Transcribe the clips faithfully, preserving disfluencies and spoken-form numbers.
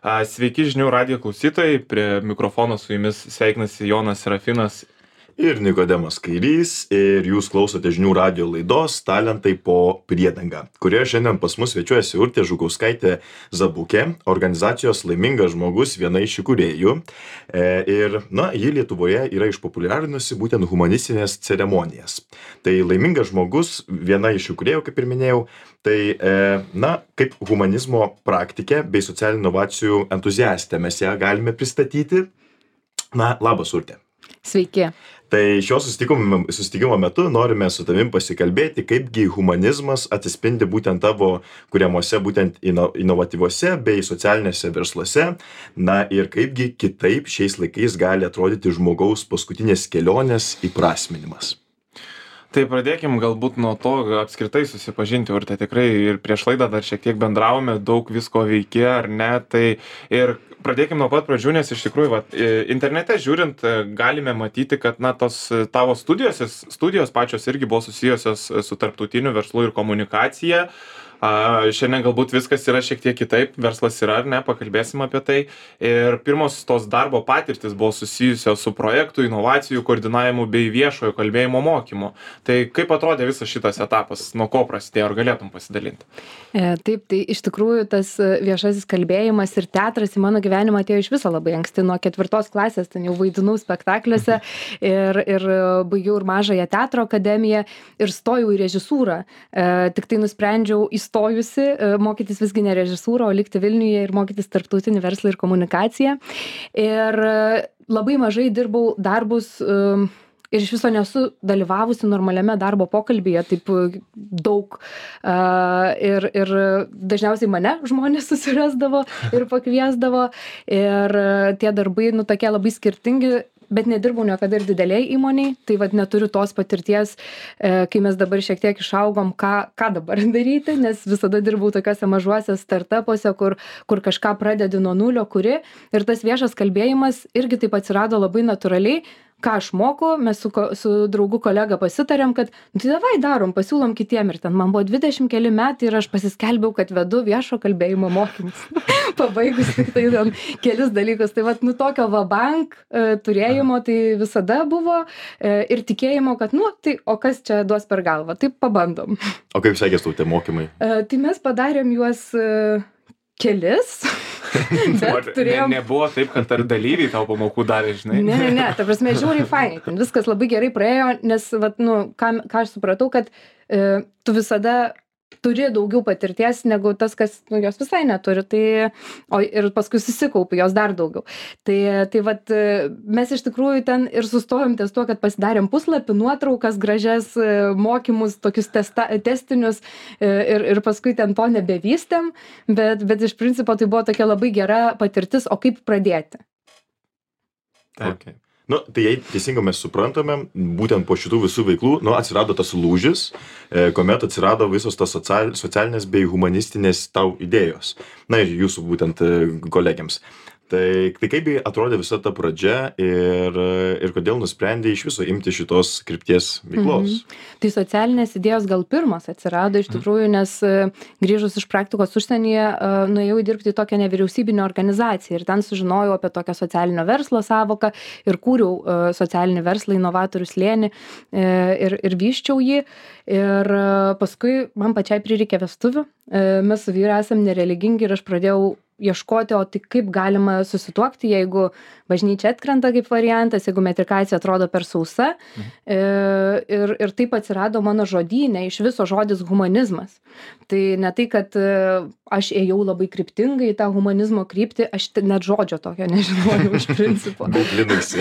Sveiki žinių radijo klausytojai, prie mikrofono su jumis sveikinasi Jonas Serafinas ir Nikodemas Kairys, ir jūs klausote žinių radijo laidos Talentai po priedanga, kurioje šiandien pas mus svečiuojasi Urtė Žukauskaitė Zabukė, organizacijos Laimingas žmogus, viena iš įkūrėjų. E, ir, na, ji Lietuvoje yra išpopuliarinusi būtent humanistinės ceremonijas. Tai Laimingas žmogus, viena iš įkūrėjų, kaip ir minėjau, tai, e, na, kaip humanizmo praktikė bei socialinių inovacijų entuziastė mes ją galime pristatyti. Na, labas, Urtė. Sveiki. Tai šio susitikimo, susitikimo metu norime su tavim pasikalbėti, kaipgi humanizmas atsispindi būtent tavo kuriamuose, būtent ino, inovatyviuose bei socialinėse versluose. Na ir kaipgi kitaip šiais laikais gali atrodyti žmogaus paskutinės kelionės įprasminimas. Tai pradėkim galbūt nuo to apskritai susipažinti, Urte, tikrai ir prieš laidą dar šiek tiek bendravome, daug visko veikė, ar ne, tai ir pradėkim nuo pat pradžių, nes iš tikrųjų, va, internete žiūrint, galime matyti, kad, na, tos tavo studijos, studijos pačios irgi buvo susijusios su tarptautiniu verslu ir komunikacija. A, šiandien galbūt viskas yra šiek tiek kitaip, verslas yra, ar ne, pakalbėsim apie tai. Ir pirmos tos darbo patirtis buvo susijusios su projektų, inovacijų koordinavimu bei viešojo kalbėjimo mokymu. Tai kaip atrodė visas šitas etapas, nuo ko prasidėjo, ar galėtum pasidalinti? E, taip, tai iš tikrųjų tas viešasis kalbėjimas ir teatras į mano gyvenimą atėjo iš viso labai anksti, nuo ketvirtos klasės, ten jau vaidinau spektakliuose ir, ir baigiau ir mažąją teatro akademiją ir stojau į režisūrą. E, tik tai nusprendžiau įstojau stojusi, mokytis visgi ne režisūrą, o likti Vilniuje ir mokytis tarptautinį verslą ir komunikaciją. Ir labai mažai dirbau darbus ir iš viso nesu dalyvavusi normaliame darbo pokalbyje taip daug. Ir, ir dažniausiai mane žmonės susirasdavo ir pakviesdavo. Ir tie darbai, nu, tokie labai skirtingi, bet nedirbau niekada ir dideliai įmoniai, tai vad neturiu tos patirties, e, kai mes dabar šiek tiek išaugom, ką, ką dabar daryti, nes visada dirbau tokiuose mažuose startupuose, kur, kur kažką pradedi nuo nulio, kuri, ir tas viešas kalbėjimas irgi taip atsirado labai natūraliai. Ką aš moku, mes su, su draugu kolega pasitarėm, kad nu, tai davai darom, pasiūlom kitiem, ir ten man buvo dvidešimt keli metai ir aš pasiskelbiau, kad vedu viešo kalbėjimo mokymus. Pabaigus tik tai ten kelis dalykus. Tai vat, nu, tokio vabank e, turėjimo tai visada buvo e, ir tikėjimo, kad, nu, tai o kas čia duos per galvą, tai pabandom. O kaip sekės tau tie mokymai? E, tai mes padarėm juos e, kelis. Bet turėjom... ne, nebuvo taip, kad ar dalyviai tau pamokų darė, žinai? Ne, ne, ne, ta prasme, žiauriai fainai, ten viskas labai gerai praėjo, nes, vat, nu, ką, ką aš supratau, kad e, tu visada turi daugiau patirties negu tas, kas, nu, jos visai neturi, tai, o ir paskui susikaupi jos dar daugiau. Tai, tai vat, mes iš tikrųjų ten ir sustojom ties tuo, kad pasidarėm puslapį, nuotraukas, gražias mokymus, tokius testa, testinius ir, ir paskui ten to nebevystėm, bet, bet iš principo tai buvo tokia labai gera patirtis, o kaip pradėti. Taip. Okay. Nu, tai jei teisingai mes suprantame, būtent po šitų visų veiklų, nu, atsirado tas lūžis, e, kuomet atsirado visos tas social, socialinės bei humanistinės tau idėjos. Na ir jūsų būtent e, kolegiams. Tai, tai kaip atrodė visa ta pradžia ir, ir kodėl nusprendė iš viso imti šitos krypties veiklos? Mhm. Tai socialinės idėjos gal pirmas atsirado iš tikrųjų, nes grįžus iš praktikos užsienyje nuėjau dirbti į tokią nevyriausybinę organizaciją ir ten sužinojau apie tokią socialinio verslo savoką ir kūriau socialinį verslą, inovatorių slėnį ir, ir vyščiau jį. Ir paskui man pačiai prireikė vestuvių, mes su vyru esam nereligingi ir aš pradėjau ieškoti, o tai kaip galima susituokti, jeigu bažnyčia atkrenta kaip variantas, jeigu metrikacija atrodo per sausa. Mhm. Ir, ir taip atsirado mano žodyne iš viso žodis humanizmas. Tai ne tai, kad aš ėjau labai kryptingai į tą humanizmo kryptį, aš net žodžio tokio nežinojau iš principo.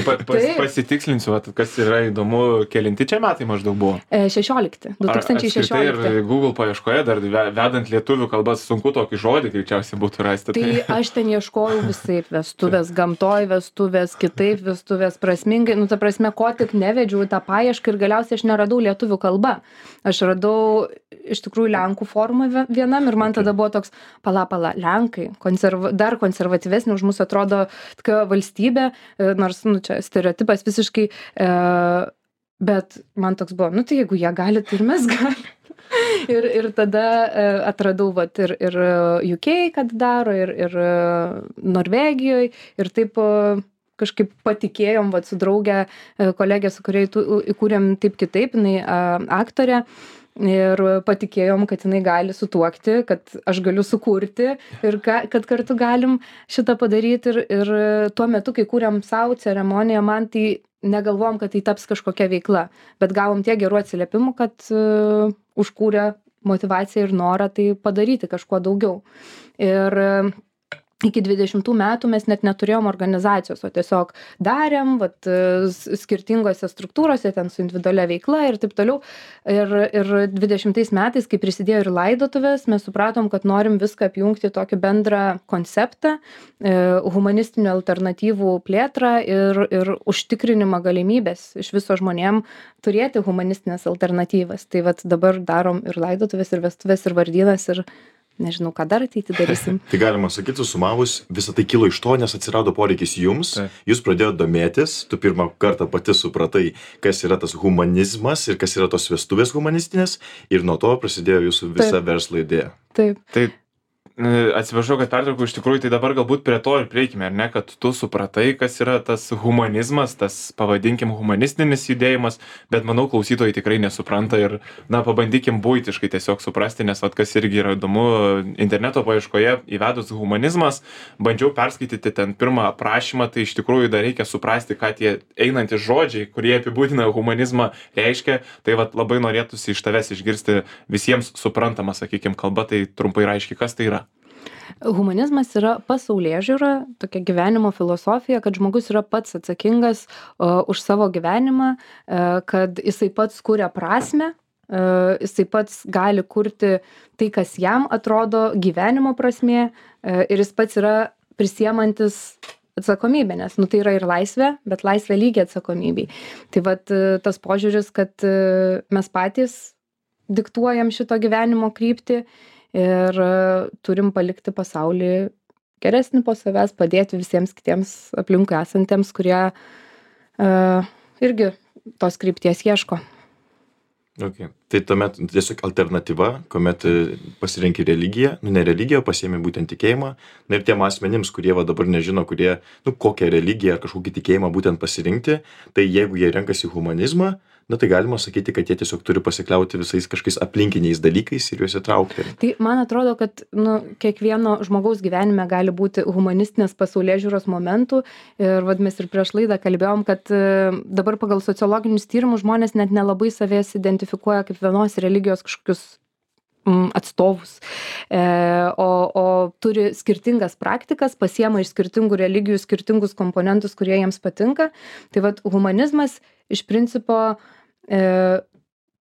pa, pas, pasitikslinsiu, kas yra įdomu, kelinti čia metai maždaug buvo? šešiolikti, du tūkstančiai šešiolikti. Ir Google paieškoje dar vedant lietuvių kalbas sunku tokį žodį greičiausiai būtų rasti. Tai aš ten ieškojau visaip, vestuvės gamtoj, vestuvės kitaip, vestuvės prasmingai, nu ta prasme, ko tik nevedžiau tą paiešką ir galiausiai aš neradau lietuvių kalba. Aš radau iš tikrųjų lenkų formą vienam ir man tada buvo toks, pala, pala, lenkai, konserva, dar konservatyvesnė už mūsų atrodo tokia valstybė, nors, nu, čia stereotipas visiškai, e, bet man toks buvo, nu tai jeigu jie gali, tai ir mes galime. ir, ir tada atradau vat, ir, ir U K, kad daro, ir, ir Norvegijoje, ir taip kažkaip patikėjom vat, su draugė, kolegė, su kuriai įkūrėm taip kitaip, jinai aktorė. Ir patikėjom, kad jinai gali sutuokti, kad aš galiu sukurti ir ka, kad kartu galim šitą padaryti. Ir, ir tuo metu, kai kūrėm savo ceremoniją, man tai negalvom, kad tai taps kažkokia veikla, bet gavom tiek gerų atsiliepimų, kad uh, užkūrė motivaciją ir norą tai padaryti kažkuo daugiau. Ir uh, iki dvidešimtų metų mes net neturėjom organizacijos, o tiesiog darėm, vat, skirtingose struktūrose, ten su individualia veikla ir taip toliau. Ir, ir dvidešimtais metais, kai prisidėjo ir laidotuvės, mes supratom, kad norim viską apjungti tokį bendrą konceptą, humanistinių alternatyvų plėtrą ir, ir užtikrinimą galimybės iš viso žmonėm turėti humanistinės alternatyvas. Tai vat dabar darom ir laidotuvės, ir vestuvės, ir vardynas, ir nežinau, ką dar ateitį darysim. Tai galima sakyti, susumavus, visą tai kilo iš to, nes atsirado poreikis jums, Taip. Jūs pradėjote domėtis, tu pirmą kartą pati supratai, kas yra tas humanizmas ir kas yra tos vestuvės humanistinės, ir nuo to prasidėjo jūsų visa Taip. Verslo idėja. Taip. Taip. Atsiprašau, kad pertraukiau, iš tikrųjų, tai dabar galbūt prie to ir prieikime, ar ne, kad tu supratai, kas yra tas humanizmas, tas, pavadinkim, humanistinis judėjimas, bet manau, klausytojai tikrai nesupranta ir, na, pabandykim buitiškai tiesiog suprasti, nes, vat, kas irgi yra įdomu, interneto paieškoje įvedus humanizmas, bandžiau perskaityti ten pirmą aprašymą, tai iš tikrųjų dar reikia suprasti, ką tie einantys žodžiai, kurie apibūdina humanizmą, reiškia, tai vat labai norėtųsi iš tavęs išgirsti visiems suprantama, sakykim, kalba, tai trumpai ir aiškiai, kas tai yra. Humanizmas yra pasaulėžiūra, tokia gyvenimo filosofija, kad žmogus yra pats atsakingas uh, už savo gyvenimą, uh, kad jisai pats kuria prasmę, uh, jisai pats gali kurti tai, kas jam atrodo gyvenimo prasmė, uh, ir jis pats yra prisiemantis atsakomybė, nes nu, tai yra ir laisvė, bet laisvė lygiai atsakomybei. Tai vat uh, tas požiūris, kad uh, mes patys diktuojam šito gyvenimo kryptį, ir turim palikti pasaulį geresnį po savęs, padėti visiems kitiems aplinkui esantiems, kurie uh, irgi tos krypties ieško. Okay. Tai tuomet tiesiog alternatyva, kuomet pasirenki religiją, nu ne religiją, pasiemi būtent tikėjimą, na ir tiem asmenims, kurie va dabar nežino, kurie, nu kokią religiją ar kažkokį tikėjimą būtent pasirinkti, tai jeigu jie renkasi humanizmą, na tai galima sakyti, kad jie tiesiog turi pasikliauti visais kažkokiais aplinkiniais dalykais ir juos įtraukti. Tai man atrodo, kad nu, kiekvieno žmogaus gyvenime gali būti humanistinės pasaulėžiūros momentų ir vad mes ir prieš laidą kalbėjom, kad dabar pagal sociologinius tyrimus žmonės net nelabai savęs identifikuoja kaip vienos religijos kažkokius mm, atstovus, e, o, o turi skirtingas praktikas, pasiema iš skirtingų religijų skirtingus komponentus, kurie jiems patinka. Tai vad humanizmas iš principo e,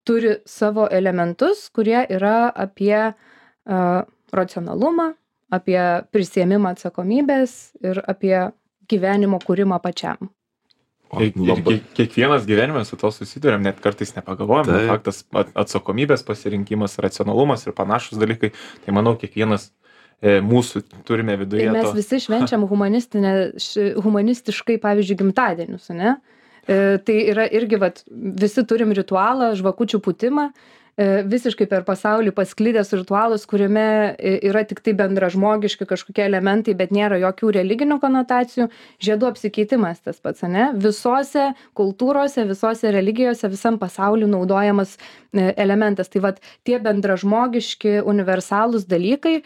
turi savo elementus, kurie yra apie e, racionalumą, apie prisiėmimą atsakomybės ir apie gyvenimo kūrimą pačiam. Ir, ir kiekvienas gyvenime su to susiduriam, net kartais nepagalvojam, bet faktas atsakomybės pasirinkimas, racionalumas ir panašus dalykai, tai manau kiekvienas e, mūsų turime viduje. Ir mes to. Visi švenčiam humanistiškai, pavyzdžiui, gimtadienius, ne? E, tai yra irgi, vat, visi turim ritualą, žvakučių pūtimą, e, visiškai per pasaulį pasklidęs ritualas, kuriame yra tik tai bendražmogiški kažkokie elementai, bet nėra jokių religinių konotacijų. Žiedų apsikeitimas tas pats, ne? Visose kultūrose, visose religijose, visam pasauliu naudojamas e, elementas. Tai vat, tie bendražmogiški, universalūs dalykai e,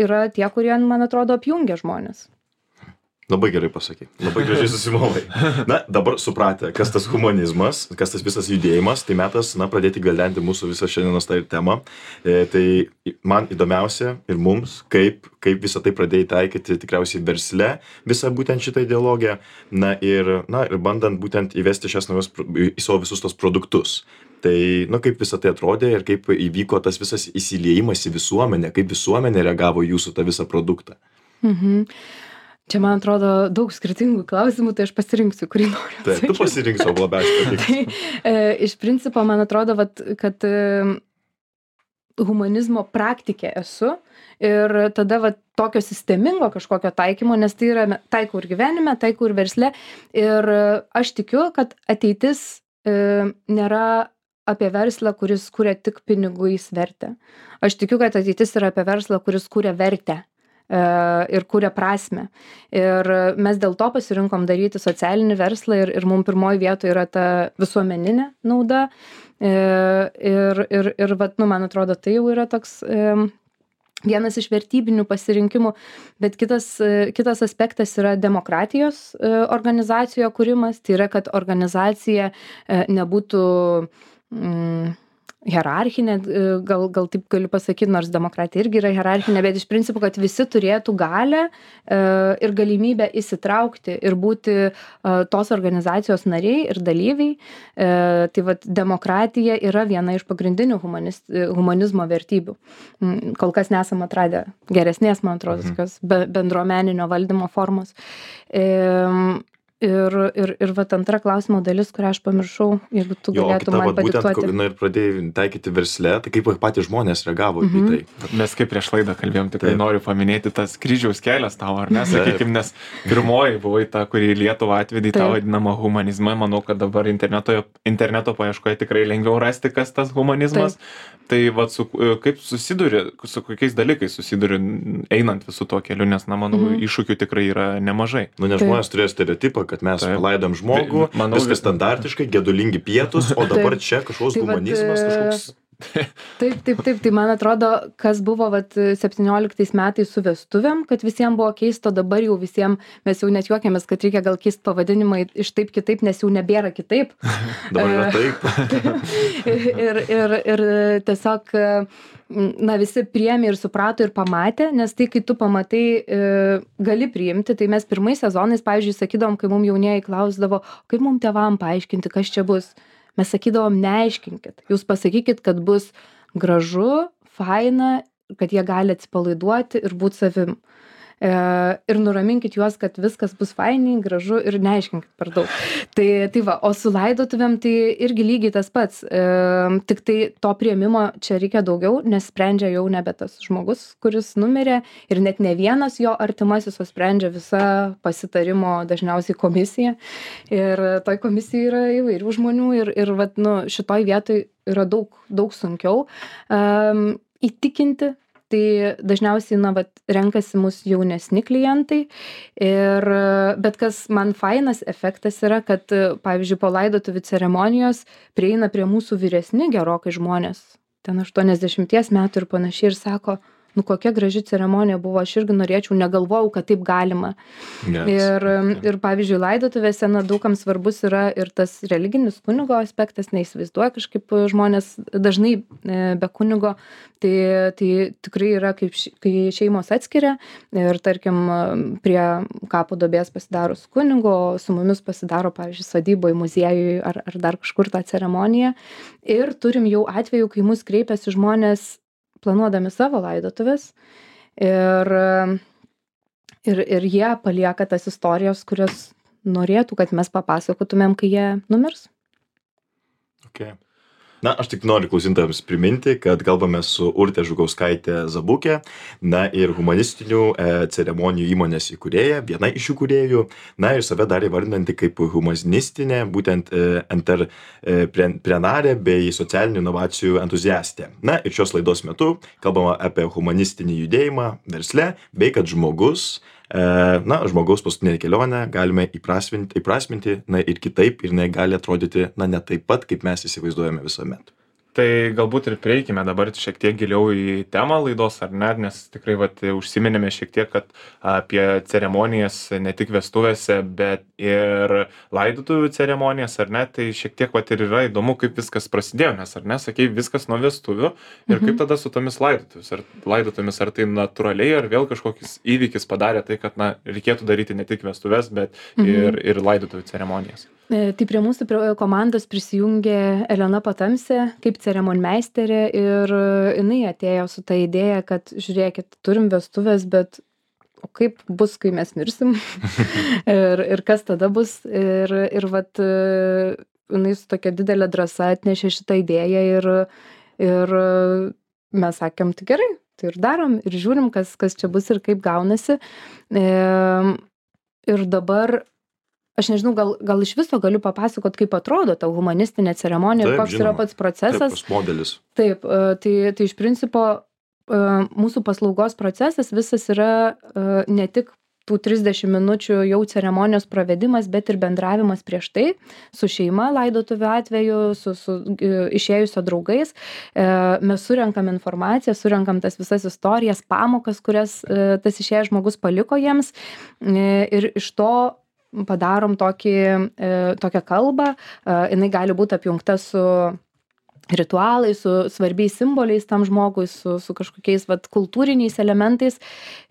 yra tie, kurie, man atrodo, apjungia žmonės. Labai gerai pasakai, labai gražiai susimovai. Na, dabar supratę, kas tas humanizmas, kas tas visas judėjimas, tai metas, na, pradėti galdenti mūsų visą šiandienos tą temą. E, tai man įdomiausia ir mums, kaip, kaip visą tai pradėjai taikyti tikriausiai versle, visą būtent šitą ideologiją, na ir, na, ir bandant būtent įvesti šias naujos į savo visus tos produktus. Tai, nu, kaip visą tai atrodė ir kaip įvyko tas visas įsiliejimas į visuomenę, kaip visuomenė reagavo jūsų tą visą produktą. Mhm. Čia, man atrodo, daug skirtingų klausimų, tai aš pasirinksiu, kurį noriu. Taip, tu pasirinksiu, o labiausiai patiks. Tai, e, iš principo, man atrodo, vat, kad e, humanizmo praktikė esu ir tada vat, tokio sistemingo kažkokio taikymo, nes tai yra taikau ir gyvenime, taikau ir versle. Ir aš tikiu, kad ateitis e, nėra apie verslą, kuris kuria tik pinigais vertę. Aš tikiu, kad ateitis yra apie verslą, kuris kuria vertę ir kuria prasme. Ir mes dėl to pasirinkom daryti socialinį verslą ir, ir mums pirmoji vietoje yra ta visuomeninė nauda. Ir, ir, ir vat, nu, man atrodo, tai jau yra toks vienas iš vertybinių pasirinkimų, bet kitas, kitas aspektas yra demokratijos organizacijoje kūrimas. Tai yra, kad organizacija nebūtų mm, hierarchinė, gal, gal taip galiu pasakyti, nors demokratija irgi yra hierarchinė, bet iš principo, kad visi turėtų galę ir galimybę įsitraukti ir būti tos organizacijos nariai ir dalyviai. Tai vat, demokratija yra viena iš pagrindinių humanis, humanizmo vertybių. Kol kas nesam atradę geresnės, man atrodo, tokios bendruomeninio valdymo formos. Ir, ir, ir vat antra klausimo dalis, kurią aš pamiršau, jeigu tu jo, galėtum kita, man vat, padiktuoti. Būtent, na, ir pradėjai taikyti versle, tai kaip patys žmonės reagavo mm -hmm. į tai? Mes kaip prieš laidą kalbėjom, tikrai Taip. noriu paminėti tas kryžiaus kelias tavo, ar ne, sakykime, nes pirmoji buvai ta, kuri į Lietuvą atvedė tą vadinamą humanizmą. Manau, kad dabar interneto, interneto paieškoje tikrai lengviau rasti, kas tas humanizmas. Taip. Tai vat, su, kaip susiduri, su kokiais dalykais susiduri einant visų tuo keliu, nes, na, manau, mm -hmm. iššūkių tikrai yra nemažai. Nu, nes žmonės turėjo stereotipą, kad mes Taip. palaidom žmogų, manau, viskas standartiškai, gedulingi pietus, o dabar Taip. čia kažkoks tai humanizmas, vat, kažkoks... Taip, taip, taip, tai man atrodo, kas buvo vat, septynioliktais metais su vestuvėm, kad visiems buvo keisto, dabar jau visiems mes jau net juokiamės, kad reikia gal keisti pavadinimą iš taip kitaip, nes jau nebėra kitaip. Dabar yra taip. ir, ir, ir tiesiog, na, visi priėmė ir suprato ir pamatė, nes tai, kai tu pamatai, e, gali priimti, tai mes pirmais sezonais, pavyzdžiui, sakydom, kai mums jaunieji klausdavo, kaip mums tėvam paaiškinti, kas čia bus. Mes sakydavom, neaiškinkit, jūs pasakykit, kad bus gražu, faina, kad jie gali atsipalaiduoti ir būti savim. E, ir nuraminkit juos, kad viskas bus fainiai, gražu ir neaiškinkit per daug. Tai, tai va, o su laidotuvėm tai irgi lygiai tas pats. E, tik tai to priėmimo čia reikia daugiau, nes sprendžia jau nebe tas žmogus, kuris numirė ir net ne vienas jo artimasis, o sprendžia visa pasitarimo dažniausiai komisija. Ir toj komisijai yra įvairių žmonių ir, ir vat, nu, šitoj vietoj yra daug, daug sunkiau um, įtikinti. Tai dažniausiai, na, vat, renkasi mus jaunesni klientai. Ir, bet kas man fainas efektas yra, kad, pavyzdžiui, po laidotuvių ceremonijos prieina prie mūsų vyresni gerokai žmonės, ten aštuoniasdešimties metų ir panašiai, ir sako, nu kokia graži ceremonija buvo, aš irgi norėčiau, negalvojau, kad taip galima. Yes. Ir, ir, pavyzdžiui, laidotuvėse, na, daugam svarbus yra ir tas religinis kunigo aspektas, neįsivaizduoja kažkaip žmonės dažnai be kunigo. Tai, tai tikrai yra, kaip, kai šeimos atskiria ir, tarkim, prie kapo duobės pasidaro su kunigo, su mumis pasidaro, pavyzdžiui, sodyboje, muziejui ar, ar dar kažkur tą ceremoniją. Ir turim jau atveju, kai mus kreipiasi žmonės planuodami savo laidotuvės ir, ir, ir jie palieka tas istorijos, kurias norėtų, kad mes papasakotumėm, kai jie numirs. Okay. Na, aš tik noriu klausytojams priminti, kad kalbame su Urte Žukauskaite Zabukė, na ir humanistinių e, ceremonijų įmonės įkūrėja, viena iš įkūrėjų, na ir save dar įvardinanti kaip humanistinė, būtent e, entreprenarė bei socialinių inovacijų entuziastė. Na ir šios laidos metu kalbama apie humanistinį judėjimą versle, bei kad žmogus, e, na, žmogaus paskutinė kelionė galime įprasminti, įprasminti, na ir kitaip, ir jinai gali atrodyti, na, ne taip pat, kaip mes įsivaizduojame visuomet. Tai galbūt ir prieikime dabar šiek tiek giliau į temą laidos, ar ne, nes tikrai vat, užsiminėme šiek tiek, kad apie ceremonijas ne tik vestuvėse, bet ir laidotuvių ceremonijas, ar ne, tai šiek tiek vat, ir yra įdomu, kaip viskas prasidėjo, nes, ar ne, sakei, viskas nuo vestuvių ir mhm. kaip tada su tomis laidotuvis, ar laidotumis, ar tai natūraliai, ar vėl kažkokis įvykis padarė tai, kad, na, reikėtų daryti ne tik vestuvės, bet mhm. ir, ir laidotuvių ceremonijas. Tai prie mūsų komandos prisijungė Elena Patamsė kaip ceremonmeisterė ir jinai atėjo su ta idėja, kad žiūrėkit, turim vestuvės, bet o kaip bus, kai mes mirsim ir, ir kas tada bus. Ir, ir vat, jinai su tokia didelė drąsa atnešė šitą idėją ir, ir mes sakėm, tai gerai, tai ir darom ir žiūrim, kas, kas čia bus ir kaip gaunasi. Ir dabar aš nežinau, gal, gal iš viso galiu papasakot, kaip atrodo ta humanistinė ceremonija ir Taip, koks žinoma. yra pats procesas. Taip, modelis. Taip, e, tai, tai iš principo e, mūsų paslaugos procesas visas yra e, ne tik tų trisdešim minučių jau ceremonijos pravedimas, bet ir bendravimas prieš tai su šeima laidotuvių atveju, su, su e, išėjusio draugais. E, mes surenkam informaciją, surenkam tas visas istorijas, pamokas, kurias e, tas išėjęs žmogus paliko jiems e, ir iš to padarom tokį, e, tokią kalbą, e, jinai gali būti apjungta su ritualai, su svarbiais simboliais tam žmogui, su, su kažkokiais vat, kultūriniais elementais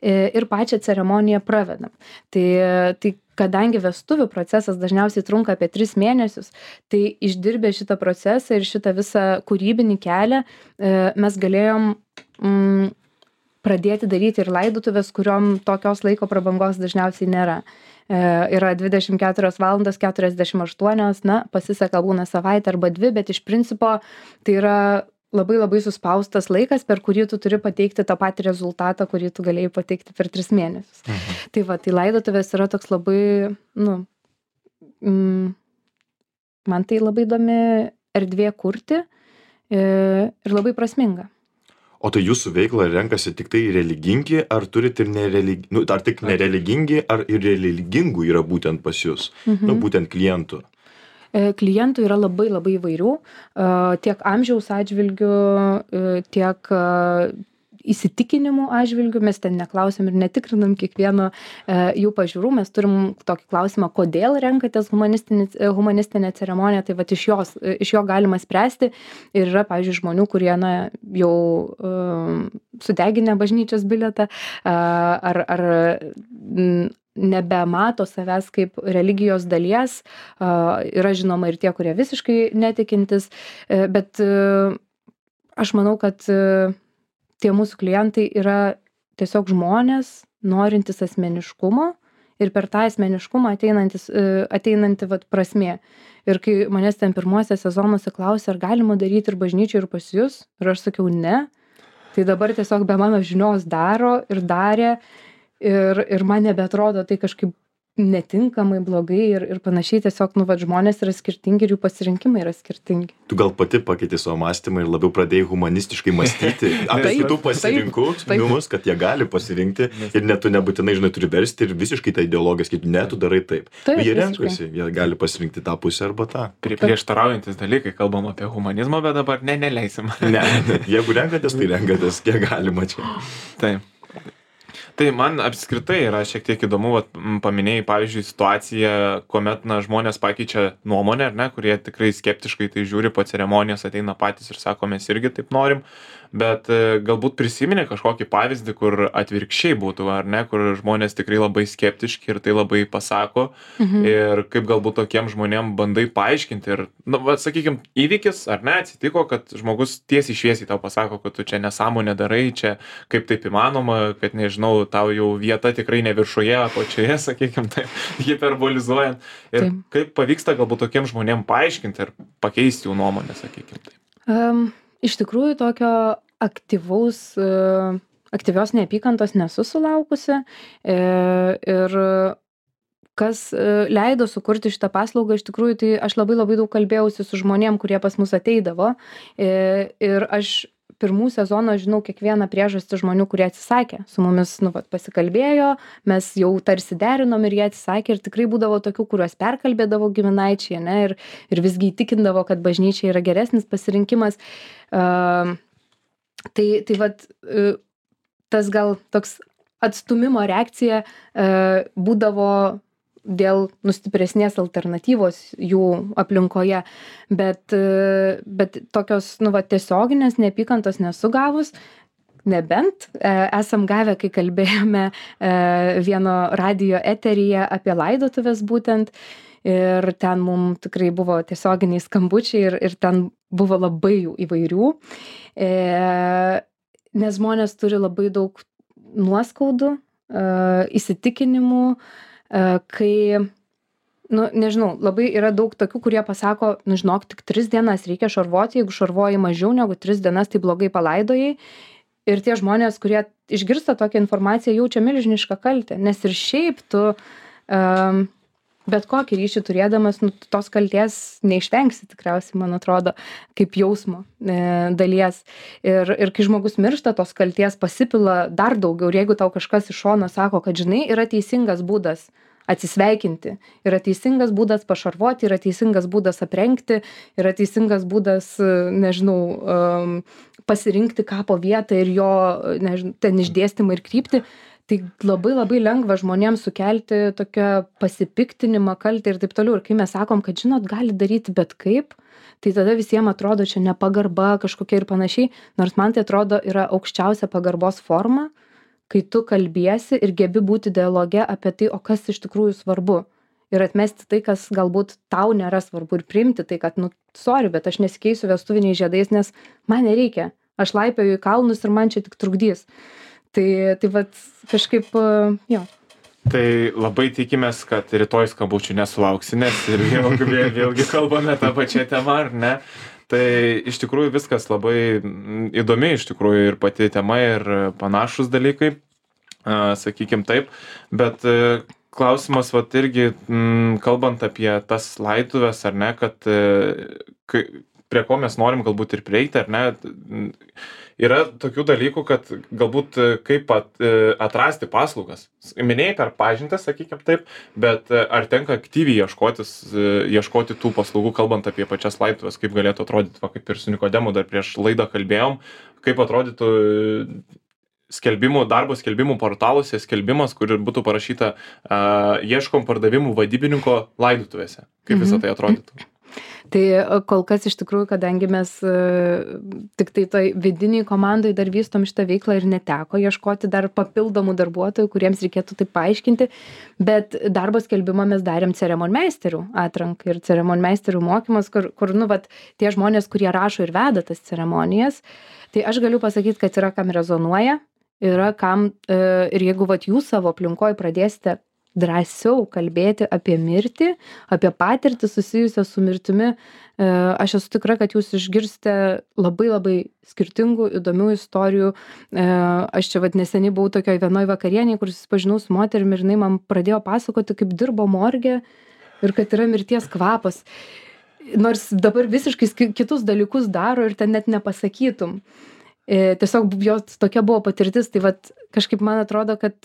e, ir pačią ceremoniją pravedam. Tai, tai kadangi vestuvių procesas dažniausiai trunka apie tris mėnesius, tai išdirbę šitą procesą ir šitą visą kūrybinį kelią e, mes galėjom mm, pradėti daryti ir laidotuvės, kuriom tokios laiko prabangos dažniausiai nėra. E, yra dvidešim keturios valandos keturiasdešim aštuonios, na, pasiseka būna savaitę arba dvi, bet iš principo tai yra labai labai suspaustas laikas, per kurį tu turi pateikti tą patį rezultatą, kurį tu galėjai pateikti per tris mėnesius. Mhm. Tai va, tai laidotuvės yra toks labai, nu, mm, man tai labai įdomi erdvė kurti e, ir labai prasminga. O tai jūsų veiklą renkasi tik tai religingi, ar turit ir nerelig... nu, ar tik nereligingi, ar ir religingų yra būtent pas jūs, mhm. nu, būtent klientų? E, klientų yra labai labai įvairių, e, tiek amžiaus atžvilgių, e, tiek e, įsitikinimų atžvilgių, mes ten neklausiam ir netikrinam kiekvieno e, jų pažiūrų, mes turim tokį klausimą, kodėl renkatės humanistinę ceremoniją, tai vat iš, jos, iš jo galima spręsti ir yra, pavyzdžiui, žmonių, kurie na, jau e, sudeginę bažnyčios bilietą e, ar, ar m, nebemato savęs kaip religijos dalies, e, yra žinoma ir tie, kurie visiškai netikintis, e, bet e, aš manau, kad e, tie mūsų klientai yra tiesiog žmonės, norintys asmeniškumo ir per tą asmeniškumą ateinantis, ateinanti vat, prasmė. Ir kai manęs ten pirmuose sezonuose klausė, ar galima daryti ir bažnyčiai, ir pas jus, ir aš sakiau ne, tai dabar tiesiog be mano žinios daro ir darė ir, ir man nebeatrodo tai kažkaip netinkamai, blogai ir, ir panašiai, tiesiog, nu, vat, žmonės yra skirtingi ir jų pasirinkimai yra skirtingi. Tu gal pati pakeitė savo mąstymą ir labiau pradėjai humanistiškai mąstyti apie kitų pasirinkimus, kad jie gali pasirinkti ir net tu nebūtinai, žinai, turi versti ir visiškai tą ideologiją sakyti, ne, tu darai taip. Taip, jie renkasi, jie gali pasirinkti tą pusę arba tą. Prie, prieštaraujantis dalykai, kalbam apie humanizmą, bet dabar ne, neleisim. Ne, jeigu renkatės, tai renkatės, kiek galima čia. Taip. Tai man apskritai yra šiek tiek įdomu, vat, paminėjai, pavyzdžiui, situaciją, kuomet na, žmonės pakeičia nuomonę, ar ne, kurie tikrai skeptiškai tai žiūri po ceremonijos, ateina patys ir sako, mes irgi taip norim, bet e, galbūt prisiminė kažkokį pavyzdį, kur atvirkščiai būtų, ar ne, kur žmonės tikrai labai skeptiški ir tai labai pasako mhm. ir kaip galbūt tokiem žmonėm bandai paaiškinti ir, na, va, sakykime, įvykis, ar ne, atsitiko, kad žmogus tiesiai šviesiai tau pasako, kad tu čia nesąmonę darai, čia kaip taip įmanoma, kad nežinau, tau jau vieta tikrai ne viršuje, apačioje, sakykime, taip, hiperbolizuojant. Ir taip. Kaip pavyksta galbūt tokiem žmonėm paaiškinti ir pakeisti jų nuomonę, sakykime, taip. Um, iš tikrųjų, tokio aktyvaus, uh, aktyvios neapykantos nesu sulaukusi e, ir kas uh, leido sukurti šitą paslaugą, iš tikrųjų, tai aš labai labai daug kalbėjausi su žmonėm, kurie pas mus ateidavo e, ir aš pirmų sezonų žinau kiekvieną priežastį žmonių, kurie atsisakė. Su mumis nu, vat, pasikalbėjo, mes jau tarsi derinom ir jie atsisakė ir tikrai būdavo tokių, kuriuos perkalbėdavo giminaičiai, ne, ir, ir visgi įtikindavo, kad bažnyčia yra geresnis pasirinkimas. Uh, tai, tai vat, uh, tas gal toks atstumimo reakcija uh, būdavo dėl nu, stipresnės alternatyvos jų aplinkoje, bet, bet tokios nu, va, tiesioginės neapykantos nesu gavus, nebent e, esam gavę, kai kalbėjome e, vieno radijo eteryje apie laidotuvės būtent ir ten mums tikrai buvo tiesioginiai skambučiai ir, ir ten buvo labai jų įvairių, e, nes žmonės turi labai daug nuoskaudų, e, įsitikinimų, kai, nu, nežinau, labai yra daug tokių, kurie pasako, nu, žinok, tik tris dienas reikia šarvoti, jeigu šarvoji mažiau negu tris dienas, tai blogai palaidojai. Ir tie žmonės, kurie išgirsta tokią informaciją, jaučia milžinišką kaltę, nes ir šiaip tu um, bet kokį ryšį turėdamas, nu, tos kalties neišvengsi tikriausiai, man atrodo, kaip jausmo e, dalies. Ir, ir kai žmogus miršta, tos kalties pasipila dar daugiau. Ir jeigu tau kažkas iš šono sako, kad žinai, yra teisingas būdas atsisveikinti, yra teisingas būdas pašarvoti, yra teisingas būdas aprengti, yra teisingas būdas, nežinau, um, pasirinkti kapo vietą ir jo, nežinau, ten išdėstymą ir kryptį, tai labai labai lengva žmonėms sukelti tokią pasipiktinimą, kaltę ir taip toliau. Ir kai mes sakom, kad žinot, gali daryti bet kaip, tai tada visiems atrodo čia nepagarba kažkokia ir panašiai, nors man tai atrodo yra aukščiausia pagarbos forma, kai tu kalbiesi ir gebi būti dialoge apie tai, o kas iš tikrųjų svarbu. Ir atmesti tai, kas galbūt tau nėra svarbu ir priimti tai, kad, nu, sorry, bet aš nesikeisiu vestuviniais žiedais, nes man nereikia. Aš laipioju į kalnus ir man čia tik trukdys. Tai, tai vat kažkaip, jo. Tai labai tikimės, kad rytoj skambučių nesulauksi, nes ir vėlgi, vėlgi kalbame tą pačią temą, ar ne? Tai iš tikrųjų viskas labai įdomi, iš tikrųjų ir pati tema ir panašus dalykai, sakykim taip, bet klausimas, vat irgi, kalbant apie tas laidotuvės, ar ne, kad prie ko mes norim galbūt ir prieiti, ar ne, yra tokių dalykų, kad galbūt kaip atrasti paslaugas. Minėjai per pažintą, sakykim taip, bet ar tenka aktyviai ieškotis, ieškoti tų paslaugų, kalbant apie pačias laidotuvės, kaip galėtų atrodyti, va, kaip ir su Nikodemu dar prieš laidą kalbėjom, kaip atrodytų skelbimų, darbo skelbimų portaluose skelbimas, kur būtų parašyta uh, ieškom pardavimų vadybininko laidotuvėse. Kaip visą tai atrodytų? Tai kol kas iš tikrųjų, kadangi mes tik tai toj vidiniai komandai dar vystom šitą veiklą ir neteko ieškoti dar papildomų darbuotojų, kuriems reikėtų tai paaiškinti, bet darbo skelbimą mes darėm ceremonmeisterių atranką ir ceremonmeisterių mokymas, kur, kur nu, vat, tie žmonės, kurie rašo ir veda tas ceremonijas, tai aš galiu pasakyti, kad yra kam rezonuoja, yra kam ir jeigu vat, jūs savo aplinkoje pradėsite drąsiau kalbėti apie mirtį, apie patirtį susijusią su mirtimi. Aš esu tikra, kad jūs išgirsite labai labai skirtingų, įdomių istorijų. Aš čia vat neseniai buvau tokioj vienoj vakarienėje, kur susipažinau su moterimi ir jinai man pradėjo pasakoti, kaip dirbo morge ir kad yra mirties kvapas. Nors dabar visiškai kitus dalykus daro ir ten net nepasakytum. Tiesiog jos tokia buvo patirtis, tai vat kažkaip man atrodo, kad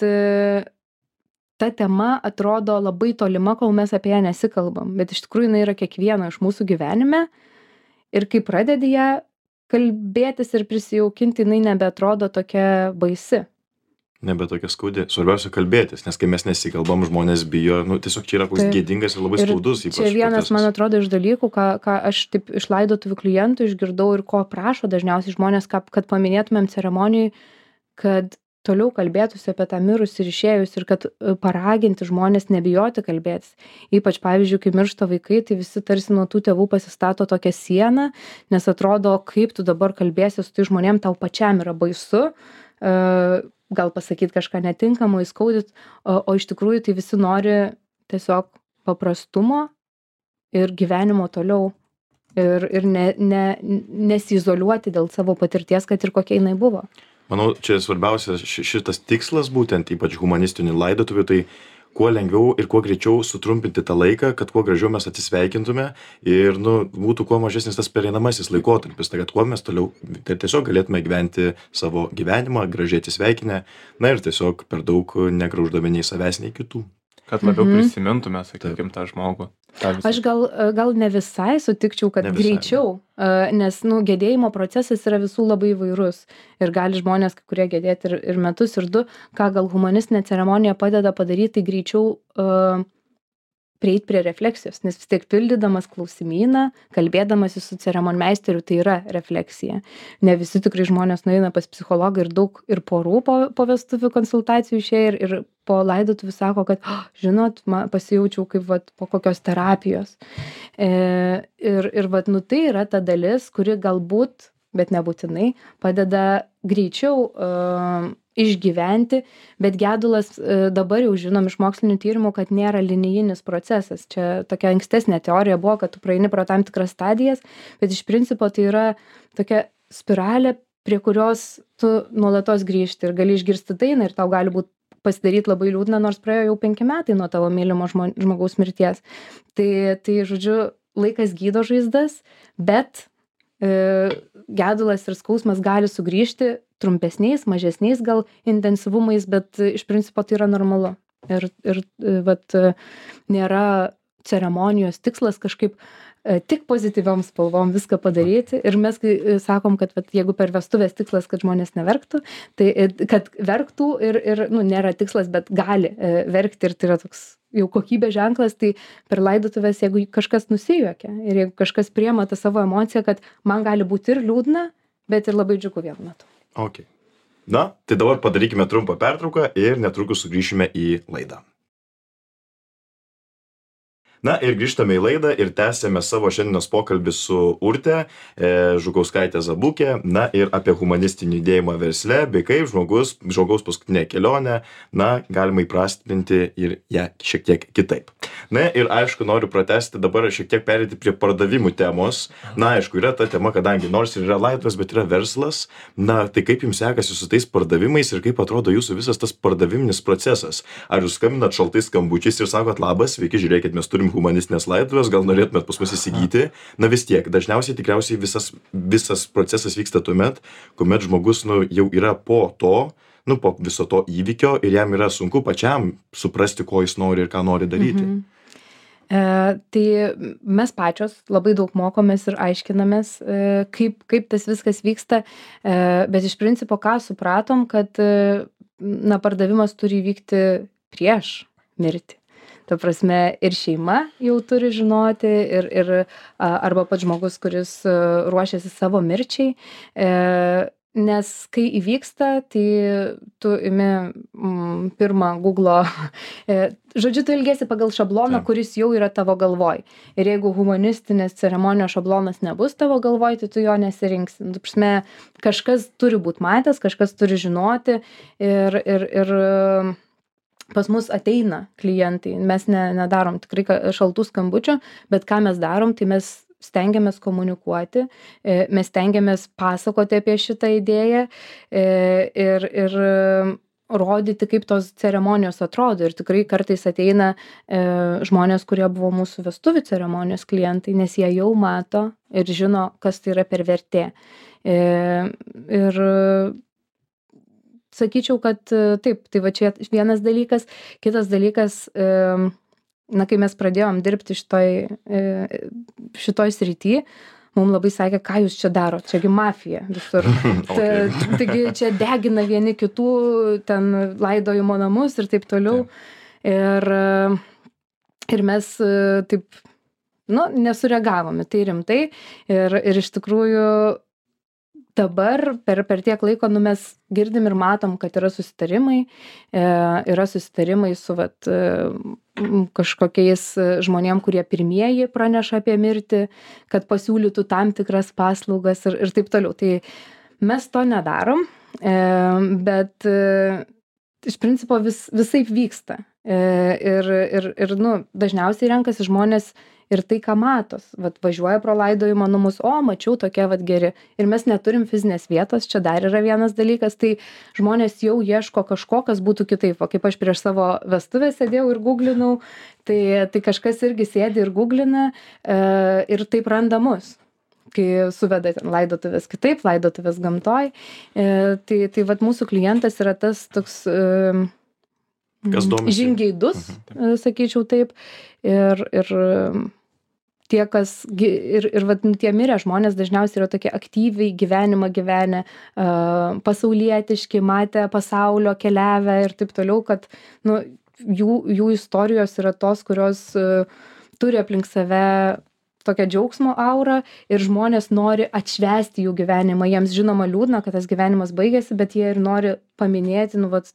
ta tema atrodo labai tolima, kol mes apie ją nesikalbam, bet iš tikrųjų jinai yra kiekvieno iš mūsų gyvenime ir kai pradedi ją kalbėtis ir prisijaukinti, jinai nebeatrodo tokia baisi. Nebe tokia skaudi. Svarbiausia kalbėtis, nes kai mes nesikalbam, žmonės bijo, nu tiesiog čia yra koks gėdingas ir labai skaudus. Ir čia vienas, man atrodo, iš dalykų, ką, ką aš taip iš laidotuvių klientų išgirdau ir ko prašo dažniausiai žmonės, kad, kad paminėtumėm ceremonijai, kad toliau kalbėtųsi apie tą mirus ir išėjus ir kad paraginti žmonės nebijoti kalbėtis. Ypač, pavyzdžiui, kai miršta vaikai, tai visi tarsi nuo tų tėvų pasistato tokią sieną, nes atrodo, kaip tu dabar kalbėsi su tai žmonėm, tau pačiam yra baisu, gal pasakyti kažką netinkamo, įskaudyti, o, o iš tikrųjų tai visi nori tiesiog paprastumo ir gyvenimo toliau ir, ir ne, ne, nesizoliuoti dėl savo patirties, kad ir kokia jinai buvo. Manau, čia svarbiausias šitas tikslas, būtent ypač humanistinių laidotuvių, tai kuo lengviau ir kuo greičiau sutrumpinti tą laiką, kad kuo gražiau mes atsisveikintume ir nu, būtų kuo mažesnis tas pereinamasis laikotarpis, tai kad kuo mes toliau tai tiesiog galėtume gyventi savo gyvenimą, gražiai atsisveikinę, na ir tiesiog per daug negrauždami nei savęs, nei kitų. Kad labiau mhm. prisimintume, sakykim, tą žmogų. Aš gal, gal ne visai sutikčiau, kad visai, greičiau, ne. Nes nu, gedėjimo procesas yra visų labai įvairus ir gali žmonės, kai kurie gedėti ir, ir metus, ir du, ką gal humanistinė ceremonija padeda padaryti, tai greičiau uh, prieiti prie refleksijos, nes vis tiek pildydamas klausimyną, kalbėdamas su ceremonmeisteriu, tai yra refleksija. Ne visi tikrai žmonės nueina pas psichologą ir daug ir porų po, po vestuvių konsultacijų išėję ir, ir po laidotuvių sako, kad, oh, žinot, man pasijaučiau kaip vat, po kokios terapijos. E, ir ir vat, nu, tai yra ta dalis, kuri galbūt, bet nebūtinai, padeda greičiau uh, išgyventi, bet gedulas uh, dabar jau žinom iš mokslinių tyrimų, kad nėra linijinis procesas. Čia tokia ankstesnė teorija buvo, kad tu praeini pro tam tikras stadijas, bet iš principo tai yra tokia spiralė, prie kurios tu nuolatos grįžti ir gali išgirsti dainą ir tau gali būti pasidaryt labai liūdna, nors praėjo jau penki metai nuo tavo mylimo žmo- žmogaus mirties. Tai, tai, žodžiu, laikas gydo žaizdas, bet e, gedulas ir skausmas gali sugrįžti trumpesniais, mažesniais gal intensyvumais, bet e, iš principo tai yra normalu. Ir, ir e, vat, e, nėra ceremonijos tikslas kažkaip e, tik pozityviom spalvom viską padaryti. Ir mes kai e, sakom, kad vat, jeigu per vestuvės tikslas, kad žmonės neverktų, tai e, kad verktų ir, ir nu, nėra tikslas, bet gali e, verkti ir tai yra toks jau kokybės ženklas, tai per laidotuvės, jeigu kažkas nusijuokia ir jeigu kažkas priema tą savo emociją, kad man gali būti ir liūdna, bet ir labai džiugu vienu metu. Ok. Na, tai dabar padarykime trumpą pertrauką ir netrukus sugrįšime į laidą. Na ir grįžtame į laidą ir tęsėme savo šiandienos pokalbį su Urte e, Žukauskaitė Zabukė, na ir apie humanistinį judėjimą versle, bei kaip žmogus, žmogaus paskutinė kelionė, na, galima įprastinti ir ją šiek tiek kitaip. Na ir aišku, noriu pratęsti dabar šiek tiek perėti prie pardavimų temos. Na, aišku, yra ta tema, kadangi nors ir yra laidotuvės, bet yra verslas. Na, tai kaip jums sekasi su tais pardavimais ir kaip atrodo jūsų visas tas pardaviminis procesas? Ar jūs skambinat šaltais skambučiais ir sakot, labas, sveiki, žiūrėkit, mes turim humanistinės laidotuvės, gal norėtumėt pas mus įsigyti? Na vis tiek, dažniausiai tikriausiai visas, visas procesas vyksta tuomet, kuomet žmogus nu, jau yra po to, nu, po viso to įvykio ir jam yra sunku pačiam suprasti, ko jis nori ir ką nori daryti. Mhm. E, tai mes pačios labai daug mokomės ir aiškinamės, e, kaip, kaip tas viskas vyksta, e, bet iš principo ką supratom, kad e, na, pardavimas turi vykti prieš mirtį. Ta prasme, ir šeima jau turi žinoti, ir, ir a, arba pats žmogus, kuris a, ruošiasi savo mirčiai. E, Nes kai įvyksta, tai tu imi mm, pirmą Google'o, e, žodžiu, tu ilgėsi pagal šabloną, Taip. kuris jau yra tavo galvoj. Ir jeigu humanistinės ceremonijos šablonas nebus tavo galvoj, tai tu jo nesirinksi. Nu, prasme, kažkas turi būti matęs, kažkas turi žinoti ir, ir, ir pas mus ateina klientai. Mes ne, nedarom tikrai ka- šaltų skambučių, bet ką mes darom, tai mes stengiamės komunikuoti, e, mes stengiamės pasakoti apie šitą idėją e, ir, ir e, rodyti, kaip tos ceremonijos atrodo. Ir tikrai kartais ateina e, žmonės, kurie buvo mūsų vestuvių ceremonijos klientai, nes jie jau mato ir žino, kas tai yra per vertė. E, ir sakyčiau, kad e, taip, tai va čia vienas dalykas. Kitas dalykas, e, na, kai mes pradėjom dirbti šitoj, e, šitoj srity, mums labai sakė, ką jūs čia darot, čiagi mafija visur. Okay. Ta- Taigi čia degina vieni kitų, ten laidojimo namus ir taip toliau. Ir, e, ir mes e, taip, nu, nesureagavome tai rimtai. Ir, ir iš tikrųjų dabar per, per tiek laiko, nu, mes girdim ir matom, kad yra susitarimai, e, yra susitarimai su vat, e, m, kažkokiais e, žmonėm, kurie pirmieji praneša apie mirtį, kad pasiūlytų tam tikras paslaugas ir, ir taip toliau. Tai mes to nedarom, e, bet e, iš principo vis, visaip vyksta. E, ir, ir, ir nu, dažniausiai renkasi žmonės ir tai, ką matos. Vat važiuoja pro laidojimo namus, o, mačiau tokie vat geri. Ir mes neturim fizinės vietos, čia dar yra vienas dalykas, tai žmonės jau ieško kažko, kas būtų kitaip. O kaip aš prieš savo vestuvę sėdėjau ir googlinau, tai, tai kažkas irgi sėdi ir googlina e, ir taip randa mus. Kai suveda ten laidotuvės kitaip, laidotuvės gamtoj. E, tai, tai vat mūsų klientas yra tas toks e, Kas domisi. žingeidus, e, sakyčiau taip. Ir, ir e, tie, kas, gi- ir, ir vat, nu, tie mirę žmonės dažniausiai yra tokie aktyviai gyvenimą gyvenę, e, pasaulietiški, matę pasaulio, keliavę ir taip toliau, kad nu, jų, jų istorijos yra tos, kurios e, turi aplink save tokią džiaugsmo aurą ir žmonės nori atšvęsti jų gyvenimą. Jiems žinoma liūdna, kad tas gyvenimas baigėsi, bet jie ir nori paminėti nu, vat,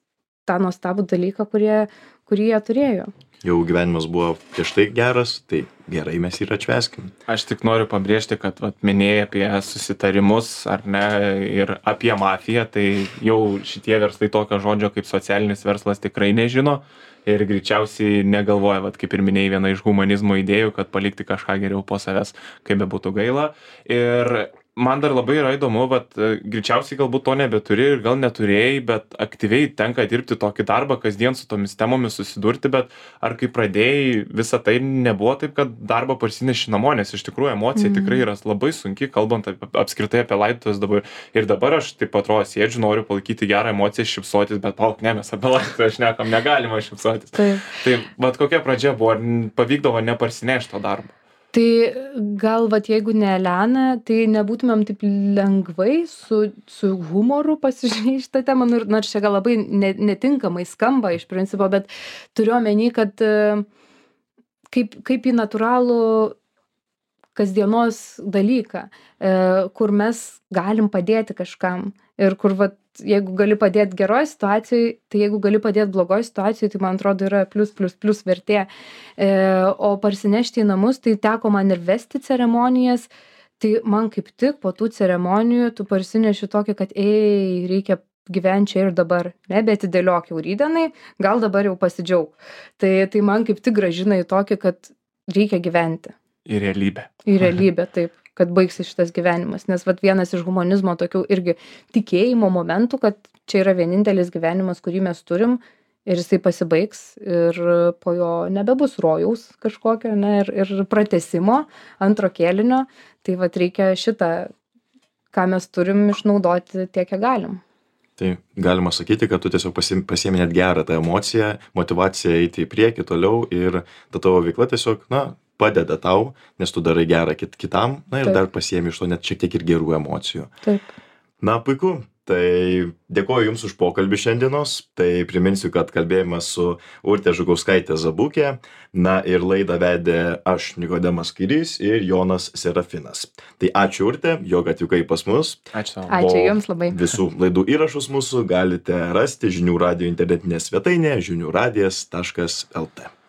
tą nuostabų dalyką, kurie, kurį jie turėjo. Jau gyvenimas buvo prieš tai geras, tai gerai mes jį ir atšvęskim. Aš tik noriu pabrėžti, kad vat, minėjai apie susitarimus ar ne ir apie mafiją, tai jau šitie verslai tokio žodžio kaip socialinis verslas tikrai nežino ir greičiausiai negalvoja, vat, kaip ir minėjai, viena iš humanizmo idėjų, kad palikti kažką geriau po savęs, kaip bebūtų gaila. Ir man dar labai yra įdomu, vat greičiausiai galbūt to nebeturi ir gal neturėjai, bet aktyviai tenka dirbti tokį darbą, kasdien su tomis temomis susidurti, bet ar kai pradėjai, visa tai nebuvo taip, kad darbą parsineši namo, nes iš tikrųjų emocija mm. tikrai yra labai sunki, kalbant apie, apskritai apie laidotuvės dabar. Ir dabar aš taip atrodo sėdžiu, noriu palaikyti gerą emociją, šypsotis, bet palauk, ne, mes apie laidotuvės šnekam, negalima šypsotis. Taip. Tai vat kokia pradžia buvo, ar pavykdavo neparsinešti to darbo? Tai gal, vat, jeigu ne Elena, tai nebūtumėm taip lengvai su, su humoru pasižiūrėti šitą temą, nors čia gal labai netinkamai skamba iš principo, bet turiu omeny, kad kaip, kaip į natūralų kasdienos dalyką, kur mes galim padėti kažkam ir kur, vat, jeigu gali padėti geroj situacijai, tai jeigu gali padėti blogoj situacijai, tai man atrodo yra plus, plus, plus vertė. E, o parsinešti į namus, tai teko man ir vesti ceremonijas, tai man kaip tik po tų ceremonijų tu parsineši tokį, kad ei, reikia gyventi čia ir dabar, nebetidėliok jau rydienai, gal dabar jau pasidžiaug. Tai, tai man kaip tik grąžina į tokį, kad reikia gyventi. Į realybę. Į realybę, taip, kad baigsis šitas gyvenimas. Nes vat vienas iš humanizmo tokių irgi tikėjimo momentų, kad čia yra vienintelis gyvenimas, kurį mes turim ir jisai pasibaigs ir po jo nebebus rojaus kažkokio, ne, ir, ir pratęsimo antro kėlinio. Tai vat reikia šitą, ką mes turim, išnaudoti tiek, kiek galim. Tai galima sakyti, kad tu tiesiog pasiemi net gerą tą emociją, motivaciją eiti į priekį toliau ir ta tavo veikla tiesiog, na, padeda tau, nes tu darai gerą kit kitam, na ir Taip. Dar pasiemi iš to net šiek tiek ir gerų emocijų. Taip. Na, puiku. Tai dėkoju Jums už pokalbį šiandienos. Tai priminsiu, kad kalbėjome su Urte Žukauskaite Zabukė. Na ir laidą vedė aš, Nikodemas Kairys ir Jonas Serafinas. Tai ačiū Urte, jog atvykai pas mus. Ačiū. Ačiū Jums labai. Visų laidų įrašus mūsų galite rasti žinių radijo internetinėje svetainėje žinių radijas taškas lt.